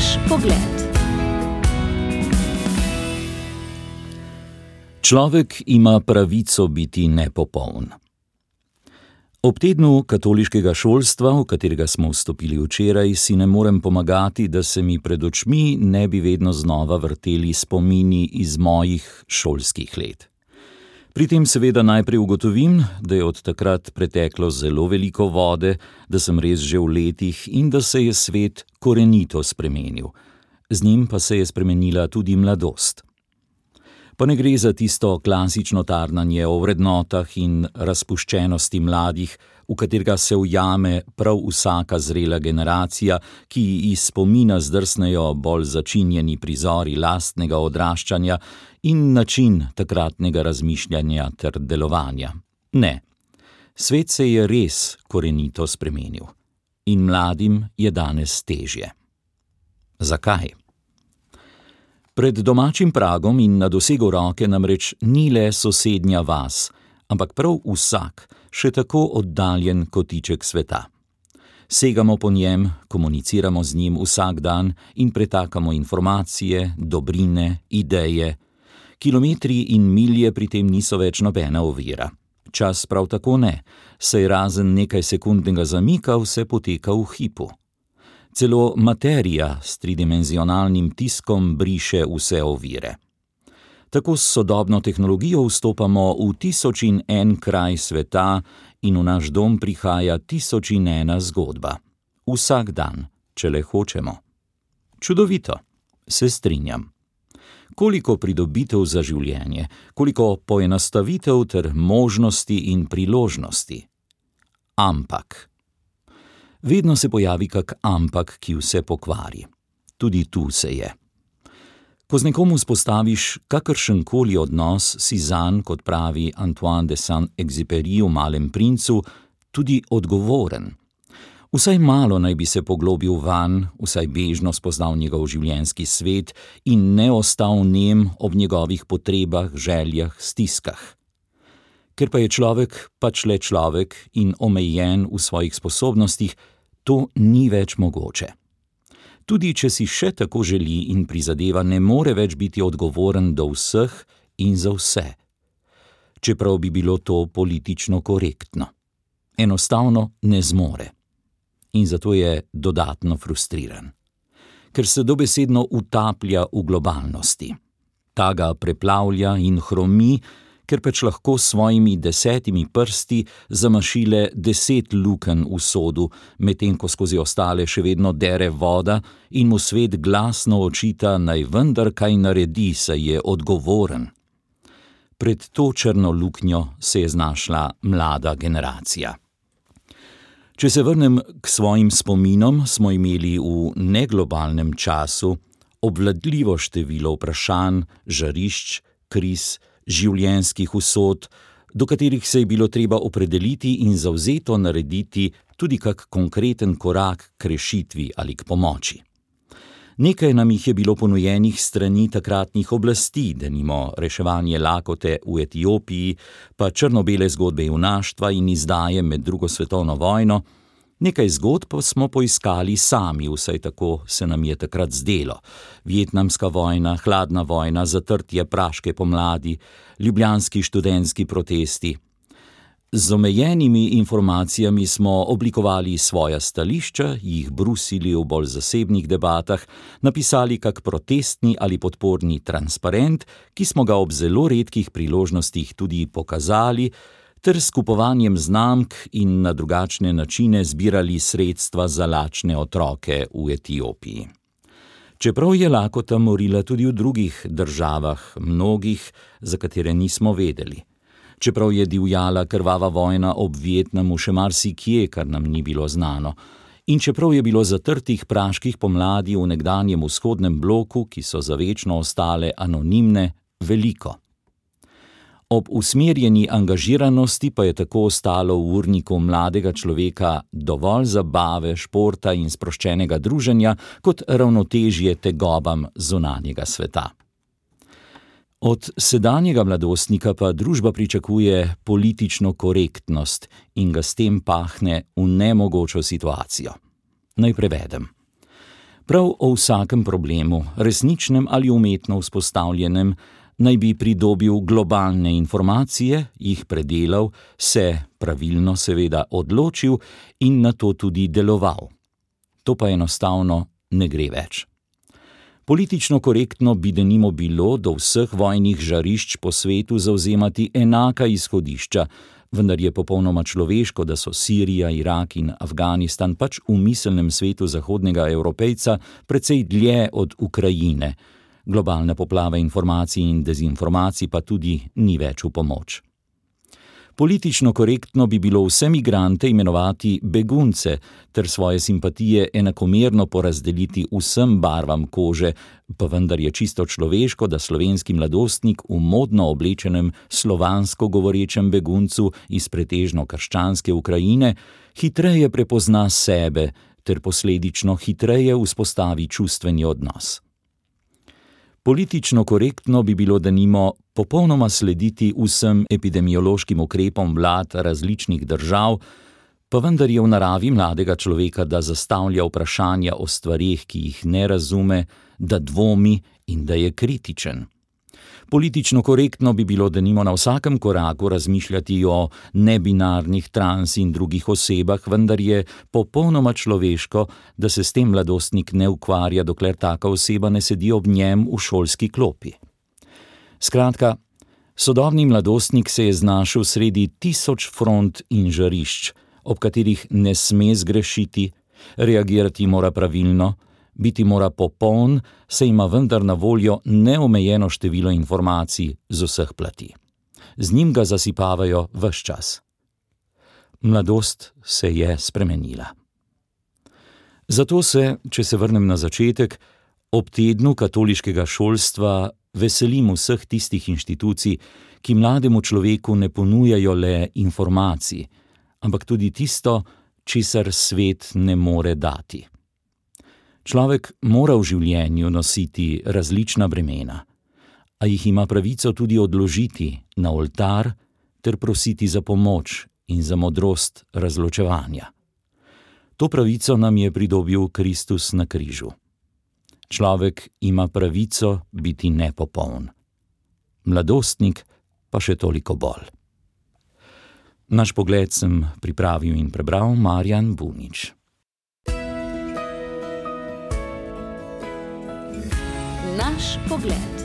Naš pogled. Človek ima pravico biti nepopoln. Ob tednu katoliškega šolstva, v katerega smo vstopili včeraj, si ne morem pomagati, da se mi pred očmi ne bi vedno znova vrteli spomini iz mojih šolskih let. Pri tem seveda najprej ugotovim, da je od takrat preteklo zelo veliko vode, da sem res že v letih in da se je svet korenito spremenil. Z njim pa se je spremenila tudi mladost. Pa ne gre za tisto klasično tarnanje o vrednotah in razpuščenosti mladih, v katerega se ujame prav vsaka zrela generacija, ki iz spomina zdrsnejo bolj začinjeni prizori lastnega odraščanja in način takratnega razmišljanja ter delovanja. Ne, svet se je res korenito spremenil in mladim je danes težje. Zakaj? Pred domačim pragom in na dosegu roke namreč ni le sosednja vas, ampak prav vsak, še tako oddaljen kotiček sveta. Segamo po njem, komuniciramo z njim vsak dan in pretakamo informacije, dobrine, ideje. Kilometri in milje pri tem niso več nobena ovira. Čas prav tako ne, saj razen nekaj sekundnega zamika vse poteka v hipu. Celo materija s tridimenzionalnim tiskom briše vse ovire. Tako s sodobno tehnologijo vstopamo v 1001 kraj sveta in v naš dom prihaja 1001 zgodba. Vsak dan, če le hočemo. Čudovito, se strinjam. Koliko pridobitev za življenje, koliko poenostavitev ter možnosti in priložnosti. Ampak. Vedno se pojavi kak ampak, ki vse pokvari. Tudi tu se je. Ko z nekom vzpostaviš kakršenkoli odnos, si zanj, kot pravi Antoine de Saint-Exupéry v Malem princu, tudi odgovoren. Vsaj malo naj bi se poglobil vanj, vsaj bežno spoznal njegov življenjski svet in ne ostal nem ob njegovih potrebah, željah, stiskah. Ker pa je človek pač le človek in omejen v svojih sposobnostih, to ni več mogoče. Tudi če si še tako želi in prizadeva, ne more več biti odgovoren do vseh in za vse. Čeprav bi bilo to politično korektno. Enostavno ne zmore. In zato je dodatno frustriran. Ker se dobesedno utaplja v globalnosti. Ta ga preplavlja in hromi, ker pač lahko s svojimi 10 prsti zamašile 10 lukenj v sodu, medtem ko skozi ostale še vedno dere voda in mu svet glasno očita, naj vendar kaj naredi, saj je odgovoren. Pred to črno luknjo se je znašla mlada generacija. Če se vrnem k svojim spominom, smo imeli v neglobalnem času obvladljivo število vprašanj, žarišč, kriz, življenjskih usod, do katerih se je bilo treba opredeliti in zavzeto narediti tudi kak konkreten korak k rešitvi ali k pomoči. Nekaj nam jih je bilo ponujenih strani takratnih oblasti, denimo reševanje lakote v Etiopiji, pa črno-bele zgodbe junaštva in izdaje med drugo svetovno vojno. Nekaj zgodb pa smo poiskali sami, vsaj tako se nam je takrat zdelo. Vietnamska vojna, hladna vojna, zatrtje praške pomladi, ljubljanski študentski protesti. Z omejenimi informacijami smo oblikovali svoja stališča, jih brusili v bolj zasebnih debatah, napisali kak protestni ali podporni transparent, ki smo ga ob zelo redkih priložnostih tudi pokazali, ter s kupovanjem znamk in na drugačne načine zbirali sredstva za lačne otroke v Etiopiji. Čeprav je lakota morila tudi v drugih državah, mnogih, za katere nismo vedeli. Čeprav je divjala krvava vojna ob Vietnamu še marsikje, kar nam ni bilo znano. In čeprav je bilo zatrtih praških pomladi v nekdanjem vzhodnem bloku, ki so za večno ostale anonimne, veliko. Ob usmerjeni angažiranosti pa je tako ostalo v urniku mladega človeka dovolj zabave, športa in sproščenega druženja kot ravnotežje tegobam zunanjega sveta. Od sedanjega mladostnika pa družba pričakuje politično korektnost in ga s tem pahne v nemogočo situacijo. Naj prevedem. Prav o vsakem problemu, resničnem ali umetno vzpostavljenem, naj bi pridobil globalne informacije, jih predelal, se, pravilno seveda, odločil in nato tudi deloval. To pa enostavno ne gre več. Politično korektno bi denimo bilo do vseh vojnih žarišč po svetu zavzemati enaka izhodišča, vendar je popolnoma človeško, da so Sirija, Irak in Afganistan pač v miselnem svetu zahodnega Evropejca precej dlje od Ukrajine. Globalna poplava informacij in dezinformacij pa tudi ni več v pomoč. Politično korektno bi bilo vse migrante imenovati begunce ter svoje simpatije enakomerno porazdeliti vsem barvam kože, pa vendar je čisto človeško, da slovenski mladostnik v modno oblečenem slovansko govorečem beguncu iz pretežno krščanske Ukrajine hitreje prepozna sebe ter posledično hitreje vzpostavi čustveni odnos. Politično korektno bi bilo denimo popolnoma slediti vsem epidemiološkim ukrepom vlad različnih držav, pa vendar je v naravi mladega človeka, da zastavlja vprašanja o stvareh, ki jih ne razume, da dvomi in da je kritičen. Politično korektno bi bilo denimo na vsakem koraku razmišljati o nebinarnih, trans in drugih osebah, vendar je popolnoma človeško, da se s tem mladostnik ne ukvarja, dokler taka oseba ne sedi ob njem v šolski klopi. Skratka, sodobni mladostnik se je znašel sredi 1000 front in žarišč, ob katerih ne sme zgrešiti, reagirati mora pravilno, biti mora popoln, saj ima vendar na voljo neomejeno število informacij z vseh plati. Z njim ga zasipavajo ves čas. Mladost se je spremenila. Zato se, če se vrnem na začetek, ob tednu katoliškega šolstva veselim vseh tistih inštitucij, ki mlademu človeku ne ponujajo le informacij, ampak tudi tisto, česar svet ne more dati. Človek mora v življenju nositi različna bremena, a jih ima pravico tudi odložiti na oltar ter prositi za pomoč in za modrost razločevanja. To pravico nam je pridobil Kristus na križu. Človek ima pravico biti nepopoln. Mladostnik pa še toliko bolj. Naš pogled sem pripravil in prebral Marjan Bunič. Naš pogled.